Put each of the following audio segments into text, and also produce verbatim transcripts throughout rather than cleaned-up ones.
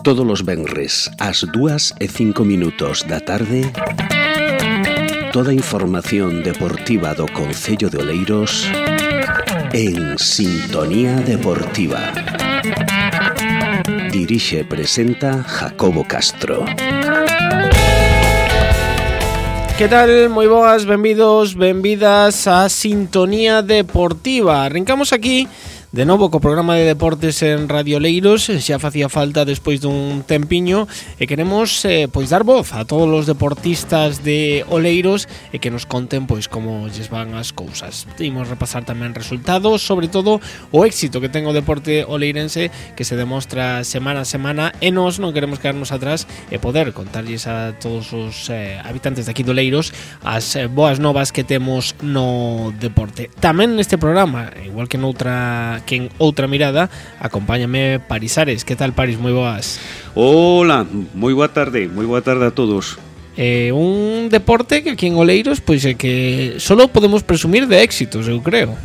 Todos os venres ás dúas e cinco minutos da tarde, toda a información deportiva do Concello de Oleiros en Sintonía Deportiva. Dirixe e presenta Jacobo Castro. Que tal? Moi boas, benvidos, benvidas a Sintonía Deportiva. Arrancamos aquí de novo co programa de deportes en Radio Oleiros. Xa facía falta despois dun tempiño e queremos eh, pois dar voz a todos os deportistas de Oleiros e que nos conten pois como lles van as cousas. Imos repasar tamén resultados, sobre todo o éxito que ten o deporte oleirense, que se demostra semana a semana, e nós non queremos quedarnos atrás e poder contarlles a todos os eh, habitantes de aquí de Oleiros as eh, boas novas que temos no deporte. Tamén neste programa, igual que noutra que en outra mirada, acompáñame Paris Ares. Que tal, Paris? Moi boas. Hola, moi boa tarde, moi boa tarde a todos. Eh, un deporte que aquí en Oleiros pois é que solo podemos presumir de éxitos, eu creo.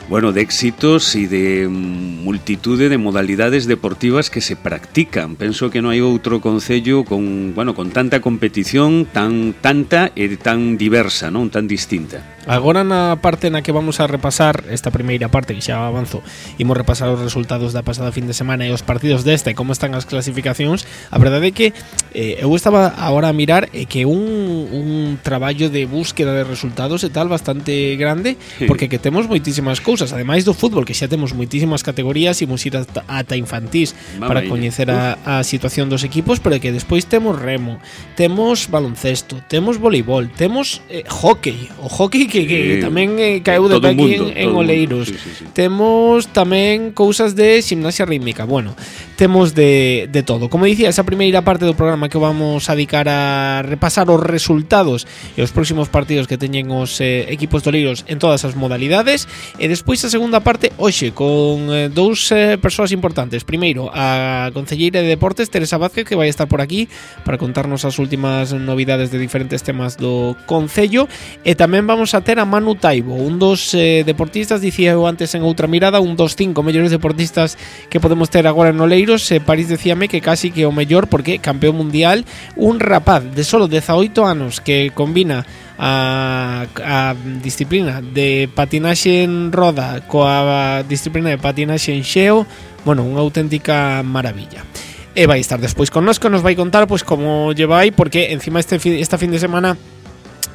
Bueno, de éxitos e de multitude de modalidades deportivas que se practican. Penso que non hai outro concello con, bueno, con tanta competición, tan tanta e tan diversa, non tan distinta. Agora na parte na que vamos a repasar esta primeira parte, que xa avanzo, imos repasar os resultados da pasada fin de semana e os partidos desta e como están as clasificacións. A verdade é que eh, eu estaba agora a mirar e que un, un traballo de búsqueda de resultados e tal bastante grande, porque que temos moitísimas cousas, ademais do fútbol, que xa temos moitísimas categorías, imos ir ata, ata infantís para coñecer a, a situación dos equipos, pero que despois temos remo, temos baloncesto, temos voleibol, temos eh, hockey, o hockey que que, que eh, tamén eh, caeu de aquí en, en Oleiros. Sí, sí, sí. Temos tamén cousas de gimnasia rítmica. Bueno, temos de, de todo. Como dicía, esa primeira parte do programa que vamos a dedicar a repasar os resultados e os próximos partidos que teñen os eh, equipos de Oleiros en todas as modalidades, e despois a segunda parte hoxe con eh, dous eh, persoas importantes. Primeiro, a concelleira de Deportes, Teresa Vázquez, que vai estar por aquí para contarnos as últimas novidades de diferentes temas do concello, e tamén vamos a ter a Manu Taibo, un dos eh, deportistas, dicía eu antes en outra mirada, un dos cinco mellores deportistas que podemos ter agora en Oleiros. eh, París decíame que casi que o mellor, porque campeón mundial, un rapaz de solo dezaoito anos que combina a, a disciplina de patinaxe en roda coa disciplina de patinaxe en xeo. Bueno, unha auténtica maravilla. E vai estar despois connosco, nos vai contar pois como lleva aí, porque encima este esta fin de semana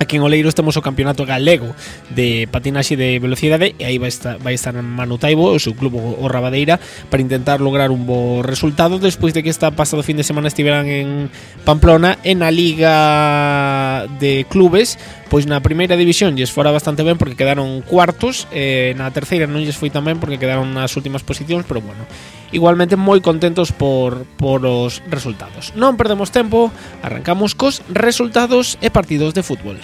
aquí en Oleiros temos o campeonato galego de patinaxe de velocidade, e aí vai estar, vai estar Manu Taibo, o seu club o Rabadeira, para intentar lograr un bo resultado despois de que esta pasado fin de semana estiveran en Pamplona en a Liga de Clubes. Pois na primeira división lles fora bastante ben porque quedaron cuartos, eh, na terceira non lles foi tan ben porque quedaron nas últimas posicións, pero bueno, igualmente moi contentos por, por os resultados. Non perdemos tempo, arrancamos cos resultados e partidos de fútbol.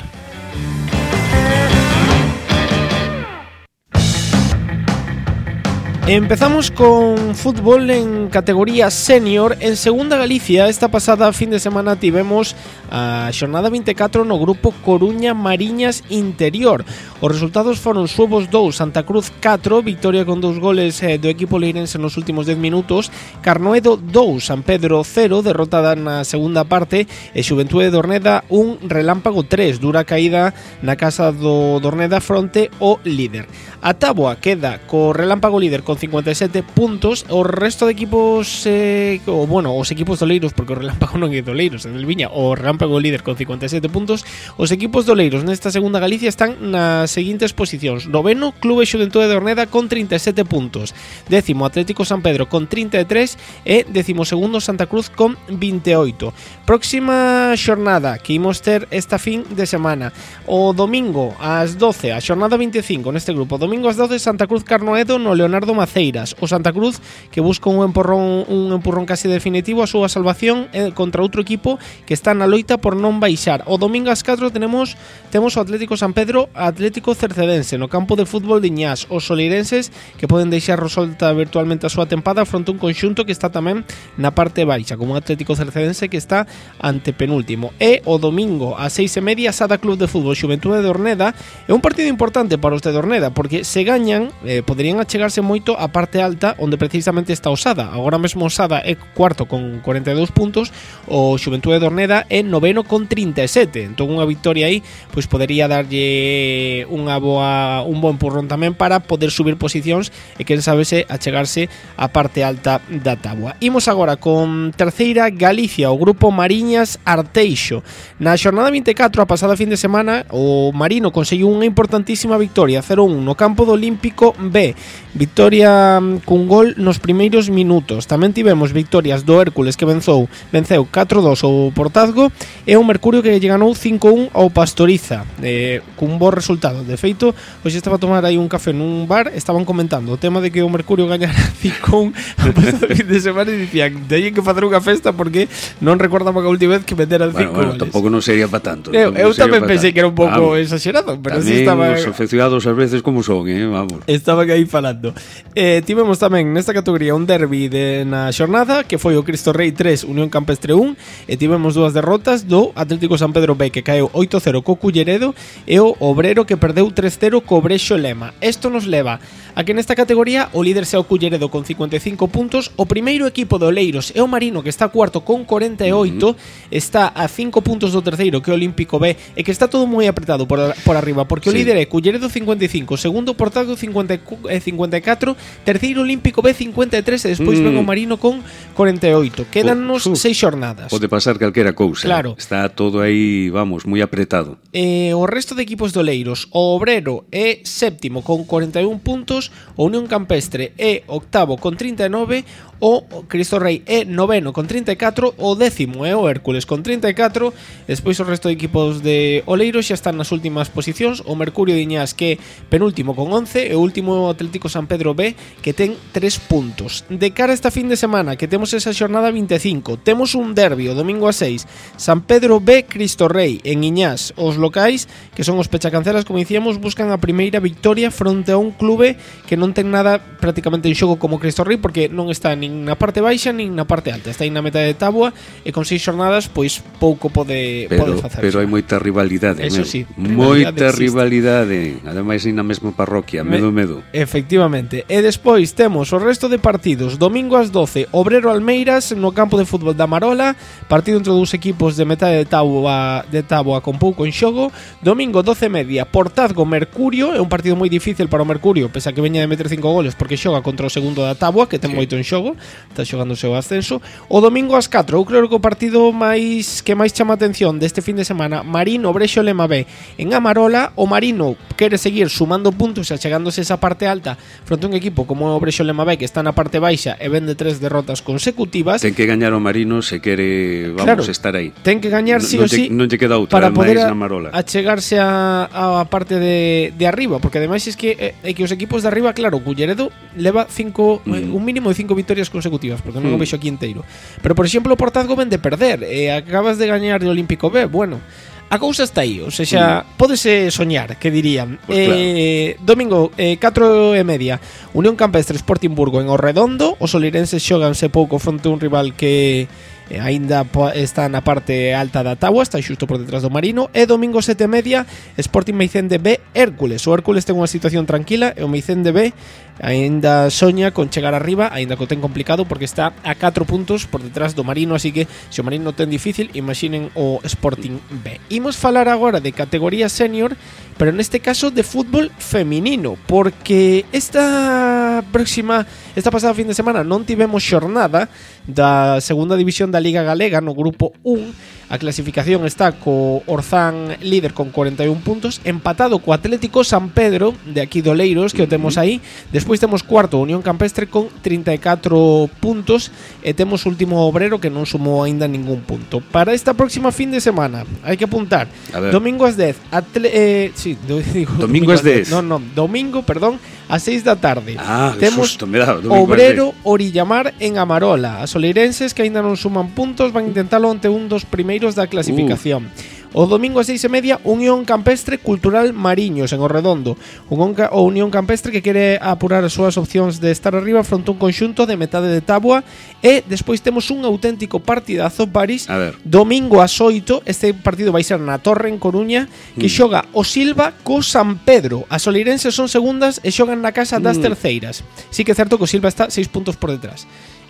Empezamos con fútbol en categoría senior. En segunda Galicia, esta pasada fin de semana tivemos a xornada vinte e catro no grupo Coruña Mariñas Interior. Os resultados foron Suevos dous, Santa Cruz catro, victoria con dous goles eh, do equipo leirense nos últimos dez minutos. Carnoedo dous, San Pedro cero, derrotada na segunda parte. E Xuventude de Orneda un, Relámpago tres, dura caída na casa do Dorneda fronte o líder. A táboa queda co Relámpago líder con cincuenta e sete puntos. O resto de equipos eh, o bueno, os equipos de Oleiros, porque o Relámpago non é de Oleiros, é del Viña. O Relámpago líder con cincuenta e sete puntos. Os equipos de Oleiros nesta segunda Galicia están nas seguintes posicións: noveno, Clube Xuventude de Orneda con trinta e sete puntos, décimo Atlético San Pedro con trinta e tres e décimo segundo Santa Cruz con vinte e oito. Próxima xornada que imos ter esta fin de semana, o domingo ás doce, a xornada vinte e cinco neste grupo. Domingo ás doce, Santa Cruz Carnoedo no Leonardo Macías. Maceiras. O Santa Cruz que busca un empurrón un empurrón casi definitivo a súa salvación eh, contra outro equipo que está na loita por non baixar. O domingo ás catro tenemos temos o Atlético San Pedro Atlético Cercedense no campo de fútbol de Iñás. Os solirenses que poden deixar resolta virtualmente a súa tempada fronte a un conxunto que está tamén na parte baixa, como un Atlético Cercedense que está ante penúltimo. E o domingo ás seis e media Sada Club de Fútbol Xuventude de Orneda. É un partido importante para os de Orneda porque se gañan eh, poderían achegarse moito a parte alta onde precisamente está o Sada. Agora mesmo o Sada é cuarto con cuarenta e dous puntos, o Xuventude de Orneda é noveno con trinta e sete. Entón unha victoria aí pois podería darlle unha boa un bon empurrón tamén para poder subir posicións e quen sabe se achegarse a parte alta da táboa. Imos agora con terceira Galicia, o grupo Mariñas Arteixo. Na xornada vinte e catro a pasada fin de semana o Marino conseguiu unha importantísima victoria cero a un no campo do Olímpico B. Victoria cun gol nos primeiros minutos. Tamén tivemos victorias do Hércules que venzou, venceu catro a dos ao Portazgo e o Mercurio que lle ganou cinco a un ao Pastoriza eh, cun bo resultado. De feito, hoxe estaba a tomar aí un café nun bar, estaban comentando o tema de que o Mercurio gañara cinco a un a pasada fin de semana e dicían teñen que facer unha festa porque non recordaba que a última vez que meteran cinco bueno, bueno, goles. Tampouco non sería para tanto. Eu, eu tamén pensei que era un pouco vamos, exagerado, pero si estaba os afeccionados ás veces como son, eh, vamos. Estaban aí falando. Eh, tivemos tamén nesta categoría un derbi de na xornada que foi o Cristo Rei tres, Unión Campestre un, e tivemos dúas derrotas do Atlético San Pedro B que caeu oito a cero co Culleredo e o Obrero que perdeu tres a cero co Brexo Lema. Isto nos leva a que nesta categoría o líder sea o Culleredo con cincuenta e cinco puntos, o primeiro equipo de Oleiros é o Marino que está cuarto con cuarenta e oito, uh-huh. está a cinco puntos do terceiro que é o Olímpico B e que está todo moi apretado por, por arriba porque sí. O líder é Culleredo cincuenta e cinco, segundo Portazgo cincuenta e catro, terceiro Olímpico B cincuenta e tres e despois mm. ven o Marino con cuarenta e oito. Quédannos uh, seis xornadas. Pode pasar calquera cousa. Claro. Está todo aí, vamos, moi apretado. Eh, o resto de equipos de Oleiros, o Obrero é séptimo con cuarenta e un puntos, o Unión Campestre é octavo con trinta e nove, o Cristo Rei é noveno con trinta e catro, o décimo é o Hércules con trinta e catro, despois o resto de equipos de Oleiros xa están nas últimas posicións, o Mercurio de Iñás que é penúltimo con once, e o último Atlético San Pedro B que ten tres puntos. De cara a esta fin de semana que temos esa xornada vinte e cinco, temos un derbi o domingo a seis, San Pedro B Cristo Rei en Iñás. Os locais, que son os pechacancelas como dicíamos, buscan a primeira victoria fronte a un clube que non ten nada prácticamente en xogo como Cristo Rei porque non está nin na parte baixa nin na parte alta, está aí na metade de táboa e con seis xornadas pois pouco pode, pero, pode facer. Pero hai moita rivalidade, eso meu. Sí, moita rivalidade, ademais aí na mesma parroquia, medo Me, medo. Efectivamente. E despois temos o resto de partidos. Domingo ás doce, Obrero Almeiras no campo de fútbol da Marola, partido entre dous equipos de metade de táboa, de táboa con pouco en xogo. Domingo doce e media, Portazgo Mercurio, é un partido moi difícil para o Mercurio, pese a que veña de meter cinco goles porque xoga contra o segundo da táboa, que ten sí. moito en xogo, está xogando o seu ascenso. O domingo ás catro, eu creo que o partido máis que máis chama a atención deste fin de semana, Marino Brexo Lema B en Amarola. O Marino quere seguir sumando puntos e chegándose esa parte alta fronte a un equipo como o Brexo Lema B que está na parte baixa e vende tres derrotas consecutivas. Ten que gañar o Marino se quere, vamos, claro, estar aí. Ten que gañar sí no, o sí non lle queda outra para poder a, Marola. achegarse a, a parte de, de arriba, porque ademais é que, é que os equipos de arriba, claro, Culleredo leva cinco, mm. un mínimo de cinco victorias consecutivas, porque non mm. o vexo aquí inteiro. Pero, por exemplo, o Portazgo ven de perder e acabas de gañar de Olímpico B, bueno, a cousa está aí, ou seja, mm. pódese soñar, que dirían. Pues eh, claro. Domingo, eh, catro e media, Unión Campestre Sporting Burgo en Orredondo. Os solirenses xoganse pouco fronte a un rival que eh, aínda está na parte alta da táboa, está xusto por detrás do Marino. E domingo sete e media, Sporting Meicende B Hércules. O Hércules ten unha situación tranquila e o Meicende B aínda soña con chegar arriba, aínda que o ten complicado porque está a catro puntos por detrás do Marino, así que se o Marino ten difícil, imaginen o Sporting B. Imos falar agora de categoría senior, pero neste caso de fútbol feminino, porque esta próxima esta pasada fin de semana non tivemos xornada da segunda división da Liga Galega no grupo un. A clasificación está co Orzán líder con cuarenta e un puntos, empatado co Atlético San Pedro de aquí do Oleiros, que o temos aí. Despois temos cuarto Unión Campestre con trinta e catro puntos e temos último Obrero que non sumou aínda ningún punto. Para esta próxima fin de semana hai que apuntar domingo ás dez, atle- eh, sí, do, digo, domingo ás dez. Non, non, domingo, perdón, a seis da tarde. Ah, temos susto, me dá, Obrero Orillamar en Amarola. As oleirenses que aínda non suman puntos van intentalo ante un dos primeiros da clasificación. Uh. O domingo a seis e media, Unión Campestre Cultural Mariños en Orredondo. O Unión Campestre que quere apurar as súas opcións de estar arriba fronte a un conxunto de metade de táboa. E despois temos un auténtico partidazo, Paris. Domingo ás oito, este partido vai ser na Torre en Coruña, que mm. xoga o Silva co San Pedro. As oleirenses son segundas e xogan na casa das mm. terceiras. Sí que é certo que o Silva está seis puntos por detrás.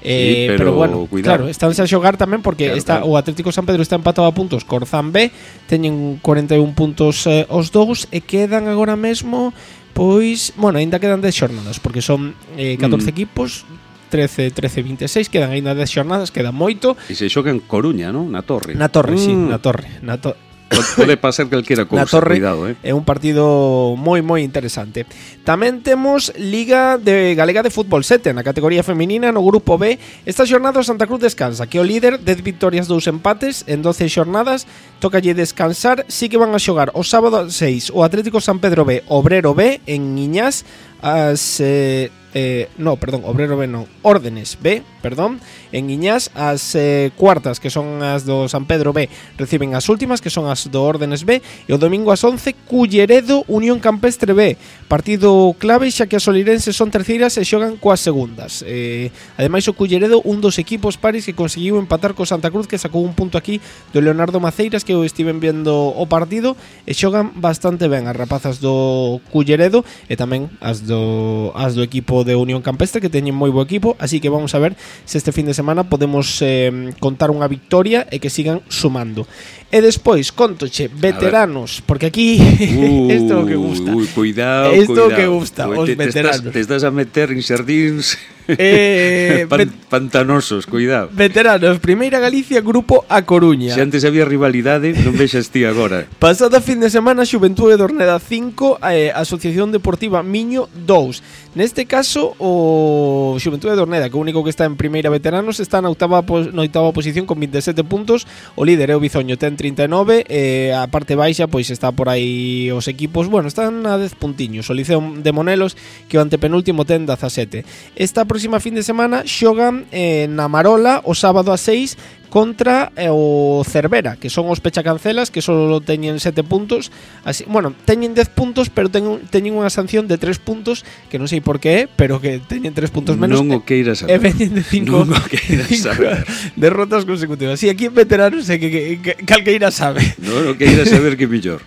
Eh, sí, pero, pero bueno, cuidado. Claro, estánse a xogar tamén porque claro, está claro. O Atlético San Pedro está empatado a puntos co Orzán B, teñen cuarenta e un puntos eh, os dous e quedan agora mesmo, pois, bueno, aínda quedan dez xornadas porque son eh, catorce mm. equipos, trece, trece, vinte e seis, quedan aínda dez xornadas, queda moito. E se xoga en Coruña, non? Na Torre. Na Torre, mm. sí, na Torre, na Torre. Pode pasar calquera cousa, Torre, cuidado, eh. É un partido moi moi interesante. Tamén temos Liga de Galega de Fútbol sete na categoría feminina no grupo B. Esta xornada o Santa Cruz descansa, que é o líder, dez victorias, dous empates en doce xornadas. Tócalle descansar, sí que van a xogar o sábado seis o Atlético San Pedro B, Obrero B en Iñás, as eh, eh, no, perdón, Obrero B non, Órdenes B, perdón, en Iñás. As eh, cuartas, que son as do San Pedro B, reciben as últimas, que son as do Órdenes B. E o domingo ás once, Culleredo Unión Campestre B, partido clave xa que as olirenses son terceiras e xogan coas segundas. eh, Ademais o Culleredo, un dos equipos paris que conseguiu empatar co Santa Cruz, que sacou un punto aquí do Leonardo Maceiras, que eu estiven vendo o partido, e xogan bastante ben as rapazas do Culleredo e tamén as do, as do equipo de Unión Campestre, que teñen moi bo equipo. Así que vamos a ver se este fin de semana podemos eh, contar unha victoria e que sigan sumando. E despois, contoche, veteranos, porque aquí uh, isto é o que gusta. Ui, cuidado, isto cuidado. que gusta, os te, veteranos. Te estás, te estás a meter en xardíns eh, Pan, pantanosos, cuidado. Veteranos, Primeira Galicia, Grupo A Coruña. Se antes había rivalidade, non vexas ti agora. Pasada fin de semana, Xuventude de Orneda cinco, eh, Asociación Deportiva Miño dous. Neste caso, o Xuventude de Orneda, que o único que está en Primeira Veteranos, está na oitava, na oitava posición con vinte e sete puntos. O líder é o Bizoño, ten trinta e nove, e a parte baixa pois está por aí os equipos, bueno, están a dez puntiños. O Liceo de Monelos, que o antepenúltimo ten dezasete. Esta próxima fin de semana xogan eh, na Marola o sábado a seis contra eh, o Cervera, que son os pechacancelas, que só teñen sete puntos. Así, bueno, teñen dez puntos, pero ten, teñen unha sanción de tres puntos, que non sei por qué, pero que teñen tres puntos menos. Non o queiras saber. E veñen de cinco, non o queiras saber. derrotas consecutivas. Si, sí, aquí en veteranos é que, que, que calqueira sabe. Non o queiras saber, que mellor.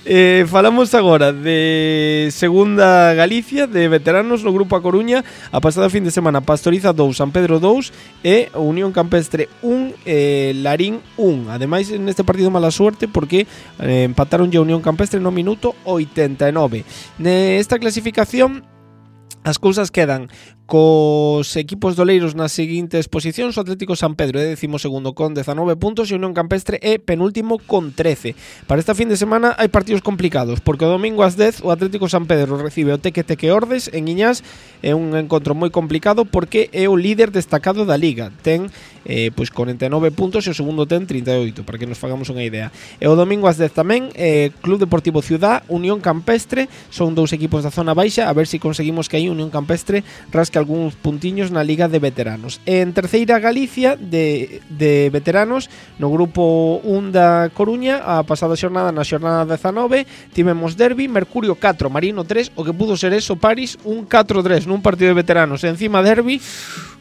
Eh, falamos agora de Segunda Galicia, de veteranos no Grupo A Coruña. A pasada fin de semana, Pastoriza dous, San Pedro dous e Unión Campestre un, eh, Larín un. Ademais, neste partido mala suerte porque eh, empataron ya Unión Campestre no minuto oitenta e nove. Nesta clasificación as cousas quedan cos equipos doleiros nas seguintes posicións. O Atlético San Pedro é décimo segundo con dezanove puntos e Unión Campestre é penúltimo con trece. Para esta fin de semana hai partidos complicados, porque o domingo ás dez o Atlético San Pedro recibe o Teque Teque Ordes en Iñás. É un encontro moi complicado porque é o líder destacado da Liga, ten eh, pois cuarenta e nove puntos e o segundo ten trinta e oito, para que nos fagamos unha idea. E o domingo ás dez tamén eh, Club Deportivo Ciudad, Unión Campestre, son dous equipos da zona baixa, a ver se si conseguimos que aí Unión Campestre rasque algúns puntiños na Liga de Veteranos. En Terceira Galicia de, de veteranos, no Grupo un da Coruña, a pasada xornada, na xornada dezanove, tivemos derbi, Mercurio catro, Marino tres, o que pudo ser eso, Paris, un catro tres nun partido de veteranos. E encima derbi,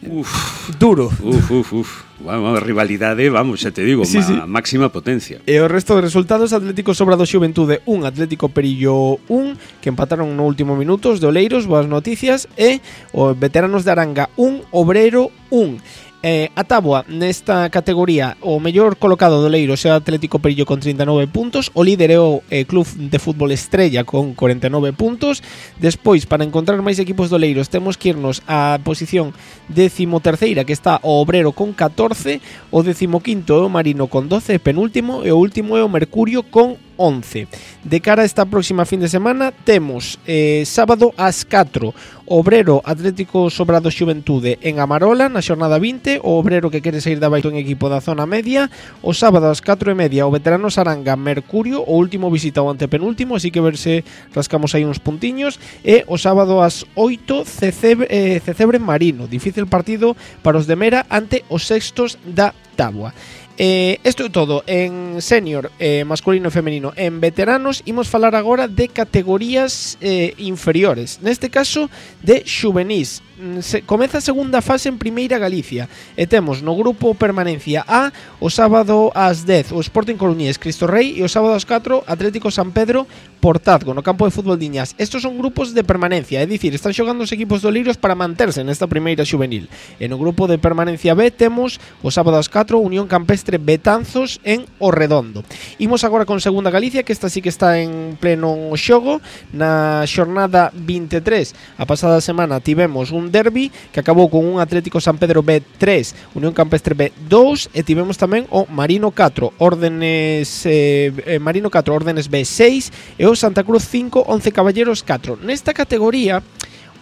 uf, duro. Uf, uf, uf. Bueno, rivalidade, vamos, xa te digo, sí, sí. Máxima potencia. E o resto de resultados: Atlético Sobrado Xuventude un, Atlético Perillo un, que empataron no último minutos de Oleiros, boas noticias, e o Veteranos de Aranga un, Obrero un. Eh, a táboa nesta categoría, o mellor colocado do Leiros é o Atlético Perillo con trinta e nove puntos, o líder é o eh, Club de Fútbol Estrella con cuarenta e nove puntos. Despois, para encontrar máis equipos do Leiros, temos que irnos á posición décimo terceira, que está o Obrero con catorce, o décimo quinto é o Marino con doce, penúltimo, e o último é o Mercurio con once. De cara a esta próxima fin de semana temos eh, sábado ás catro Obrero Atlético Sobrado Xuventude en Amarola na xornada vinte, o Obrero que quere sair da baixo en equipo da zona media. O sábado ás catro e media o Veterano Saranga Mercurio, o último visita o antepenúltimo, así que ver se rascamos aí uns puntiños. E o sábado ás oito Cecebre, eh, Cecebre Marino, difícil partido para os de Mera ante os sextos da táboa. Eh, isto é todo en senior, eh, masculino e femenino. En veteranos imos falar agora de categorías eh, inferiores, neste caso de xuvenís. Se, comeza a segunda fase en Primeira Galicia e temos no grupo Permanencia A o sábado ás dez o Sporting Coruñés Cristo Rei e o sábado ás catro Atlético San Pedro Portazgo no campo de fútbol Diñas. Estos son grupos de permanencia, é dicir, están xogando os equipos do Oleiros para manterse nesta primeira xuvenil. E no grupo de Permanencia B temos o sábado ás catro Unión Campestre Betanzos en O Redondo. Imos agora con Segunda Galicia, que esta sí que está en pleno xogo. Na xornada vinte e tres a pasada semana tivemos un derbi que acabou con un Atlético San Pedro B tres, Unión Campestre B dos, e tivemos tamén o Marino catro, Órdenes eh, eh, Marino catro, Órdenes B seis e o Santa Cruz cinco, Once Caballeros catro. Nesta categoría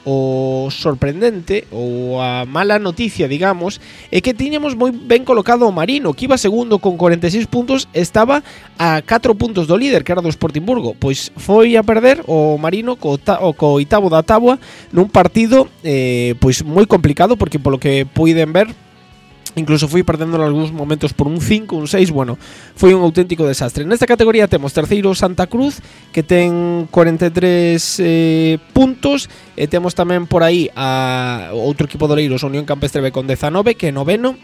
o sorprendente ou a mala noticia, digamos, é que tiñamos moi ben colocado o Marino, que iba segundo con cuarenta e seis puntos, estaba a catro puntos do líder, que era do Sportingburgo. Pois foi a perder o Marino co, ta, o co oitavo da táboa nun partido eh, pois moi complicado, porque polo que puiden ver incluso fui perdendo en algúns momentos por un cinco, un seis, bueno, foi un auténtico desastre. Nesta categoría temos terceiro Santa Cruz, que ten cuarenta e tres eh, puntos, e temos tamén por aí a outro equipo do Oleiros, Unión Campestre B con dezanove, que é noveno,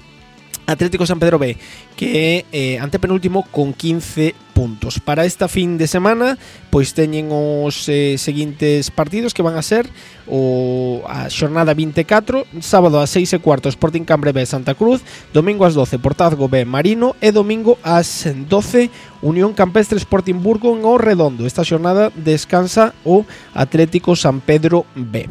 Atlético San Pedro B, que é eh, antepenúltimo con quince puntos. Para esta fin de semana, pois teñen os eh, seguintes partidos, que van a ser o a xornada vinte e catro, sábado ás seis e cuarto Sporting Cambre B Santa Cruz, domingo ás doce Portazgo B Marino e domingo ás doce Unión Campestre Sportingburgo en O Redondo. Esta xornada descansa o Atlético San Pedro B.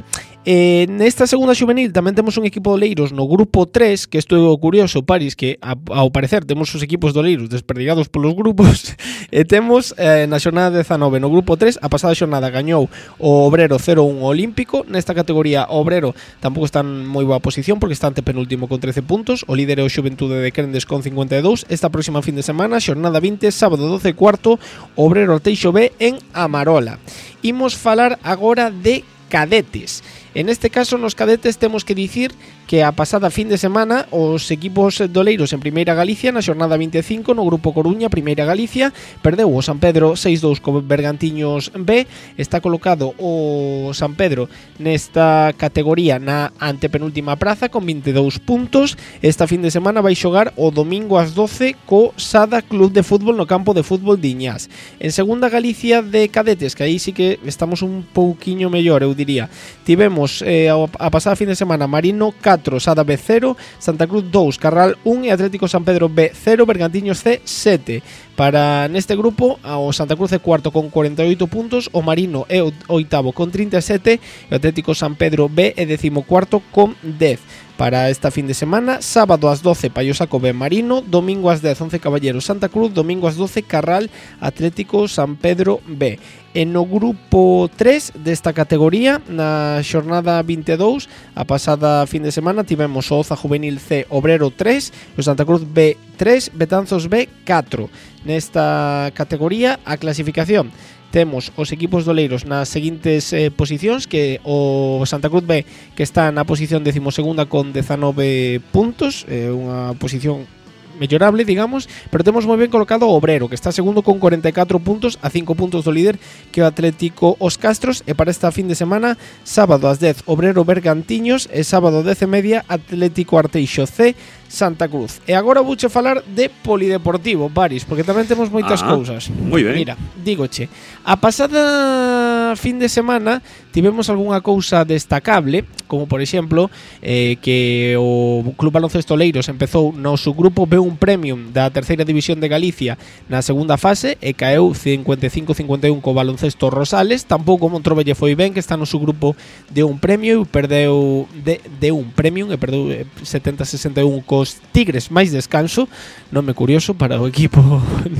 Eh, nesta segunda xuvenil tamén temos un equipo de Oleiros no grupo tres, que isto é o curioso, Paris, que a, ao parecer temos os equipos de Oleiros desperdigados polos grupos. E temos eh, na xornada dezanove no grupo tres, a pasada xornada gañou o Obrero cero un Olímpico. Nesta categoría o Obrero tampouco está en moi boa posición, porque está antepenúltimo con trece puntos. O líder é o Xuventude de Crendes con cincuenta e dous. Esta próxima fin de semana, xornada vinte, sábado doce e cuarto, Obrero Arteixo B en Amarola. Imos falar agora de cadetes. En este caso, nos cadetes temos que dicir que a pasada fin de semana os equipos de Oleiros en Primeira Galicia na xornada vinte e cinco no grupo Coruña, Primeira Galicia, perdeu o San Pedro seis dous co Bergantiños B. Está colocado o San Pedro nesta categoría na antepenúltima praza con vinte e dous puntos. Esta fin de semana vai xogar o domingo ás doce co Sada Club de Fútbol no campo de fútbol Diñas. En Segunda Galicia de cadetes, que aí sí que estamos un pouquiño mellor, eu diría. Tivemos Eh, a pasada fin de semana Marino catro, Sada B cero, Santa Cruz dous, Carral un e Atlético San Pedro B cero, Bergantiños C sete. Para neste grupo, o Santa Cruz é cuarto con cuarenta e oito puntos, o Marino é o oitavo con trinta e sete e o Atlético San Pedro B é decimocuarto con dez. Para esta fin de semana, sábado ás doce Paiosaco B Marino, domingo ás dez Once Caballeros Santa Cruz, domingo ás doce Carral Atlético San Pedro B. E no grupo tres desta categoría, na xornada vinte e dous, a pasada fin de semana tivemos o Oza Juvenil C Obrero tres, o Santa Cruz B tres, Betanzos B catro. Nesta categoría, a clasificación: temos os equipos de Oleiros nas seguintes eh, posicións, que o Santa Cruz B, que está na posición decimosegunda con dezanove puntos, eh, unha posición mellorable, digamos, pero temos moi ben colocado o Obrero, que está segundo con cuarenta e catro puntos, a cinco puntos do líder, que é o Atlético Os Castros. E para esta fin de semana, sábado ás dez Obrero Bergantiños e sábado dez e media Atlético Arteixo C Santa Cruz. E agora vouche falar de polideportivo, Paris, porque tamén temos moitas ah, cousas. Moi ben. Mira, dígoche, a pasada na fin de semana tivemos algunha cousa destacable, como por exemplo eh, que o Club Baloncesto Oleiros empezou no subgrupo B uno Premium da terceira división de Galicia na segunda fase e caeu cincuenta e cinco a cincuenta e un co Baloncesto Rosales. Tampouco Montrobe lle foi ben, que está no subgrupo D uno Premium, perdeu de, D uno Premium e perdeu setenta a sesenta e un cos Tigres máis descanso. Nome curioso para o equipo.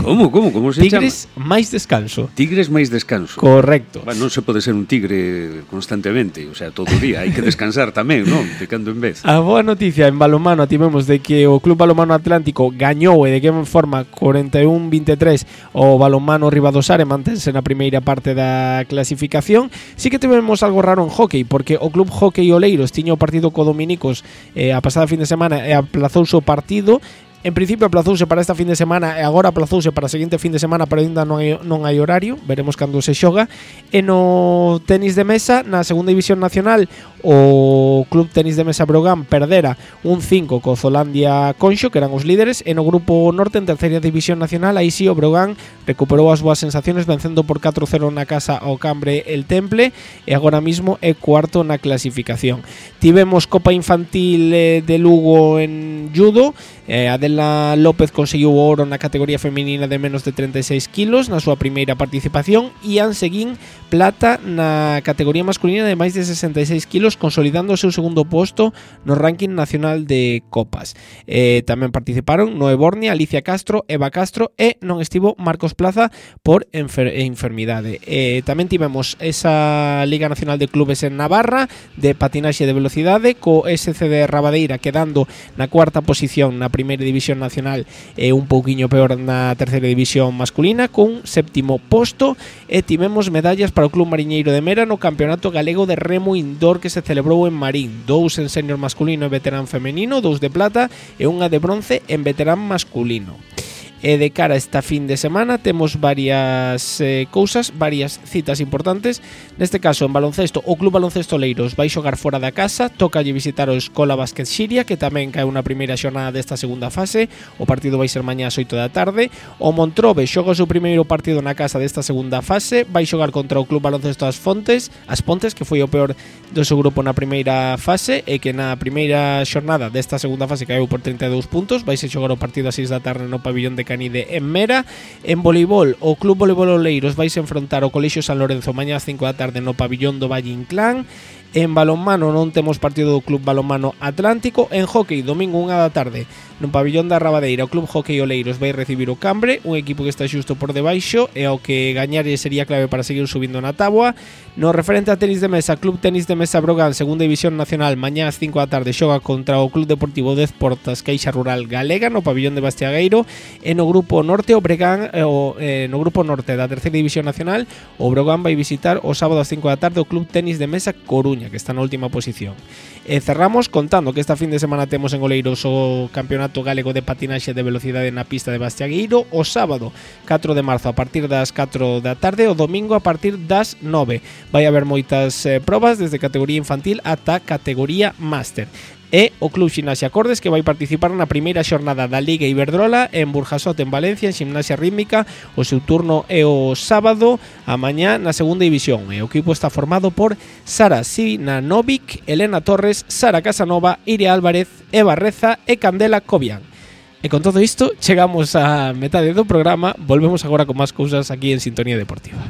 Como, como, como se Tigres chama? máis descanso. Tigres máis descanso. Correcto. Bueno, non se pode ser un tigre constantemente, o sea, todo o día, hai que descansar tamén, non? De cando en vez. A boa noticia en balonmano tivemos de que o Club Balonmano Atlántico gañou e de que forma cuarenta y uno a veintitrés o Balonmano Ribadosar e mantense na primeira parte da clasificación. Sí que tivemos algo raro en hockey, porque o Club Hockey Oleiros tiña o partido co Dominicos eh, a pasada fin de semana e aplazouse o partido. En principio aplazouse para esta fin de semana e agora aplazouse para a seguinte fin de semana, pero ainda non hai, non hai horario, veremos cando se xoga. E no tenis de mesa, na segunda división nacional, o Club Tenis de Mesa Brogan perdera un cinco co Zolandia Conxo, que eran os líderes, e no grupo norte, en terceira división nacional, aí sí o Brogan recuperou as boas sensaciones vencendo por catro cero na casa ao Cambre el Temple e agora mismo é cuarto na clasificación. Tivemos Copa Infantil eh, de Lugo en judo. Eh, Adela López conseguiu o oro na categoría feminina de menos de treinta e seis kilos na súa primeira participación, e Ian Seguín plata na categoría masculina de máis de sesenta e seis kilos, consolidando o seu segundo posto no ranking nacional de copas. Eh, tamén participaron Noé Bornia, Alicia Castro, Eva Castro e non estivo Marcos Plaza por enfer- enfermidade. Eh, tamén tivemos esa Liga Nacional de Clubes en Navarra de patinaxe de velocidade, co S C de Rabadeira quedando na cuarta posición na primeira división nacional e un pouquiño peor na terceira división masculina, con séptimo posto. E tivemos medallas para o Club Mariñeiro de Mera no Campeonato Galego de Remo Indoor que se celebrou en Marín, dous en senior masculino e veterán femenino, dous de plata e unha de bronce en veterán masculino. E de cara a esta fin de semana temos varias eh, cousas, varias citas importantes. Neste caso, en baloncesto, o Club Baloncesto Oleiros vai xogar fora da casa, toca lle visitar o Escola Básquet Xiria, que tamén cae unha primeira xornada desta segunda fase. O partido vai ser mañá ás oito da tarde. O Montrobe xoga o seu primeiro partido na casa desta segunda fase, vai xogar contra o Club Baloncesto As Fontes, As Pontes, que foi o peor do seu grupo na primeira fase e que na primeira xornada desta segunda fase caeu por trinta e dous puntos. Vai se xogar o partido ás seis da tarde no pabillón de Canide en Mera. En voleibol, o Club Voleibol Oleiros vai se enfrontar ao Colexio San Lorenzo mañá ás cinco da tarde no pabillón do Valle Inclán. En balonmano non temos partido do Club Balonmano Atlántico. En hockey, domingo unha da tarde no pabillón da Rabadeira, o Club Hockey Oleiros vai recibir o Cambre, un equipo que está xusto por debaixo e ao que gañar sería clave para seguir subindo na táboa. No referente a tenis de mesa, Club Tenis de Mesa Brogan, segunda división nacional, mañá ás cinco da tarde xoga contra o Club Deportivo Dez Portas Caixa Rural Galega no pabillón de Bastiagueiro. E no grupo norte, o Bregan, eh, o, eh, no grupo norte da terceira división nacional, o Brogan vai visitar o sábado ás cinco da tarde o Club Tenis de Mesa Coruña, que está na última posición. E cerramos contando que esta fin de semana temos en Oleiros o Campeonato Galego de Patinaxe de Velocidade na pista de Bastiagueiro, o sábado catro de marzo a partir das catro da tarde, o domingo a partir das nove. Vai haber moitas eh, probas desde categoría infantil ata categoría máster. E o Club Ximnasia Cordes, que vai participar na primeira xornada da Liga Iberdrola en Burjasot, en Valencia, en Ximnasia Rítmica. O seu turno é o sábado a mañá na segunda división. E o equipo está formado por Sara Sinanovic, Elena Torres, Sara Casanova, Iria Álvarez, Eva Reza e Candela Cobian. E con todo isto chegamos a metade do programa. Volvemos agora con máis cousas aquí en Sintonía Deportiva.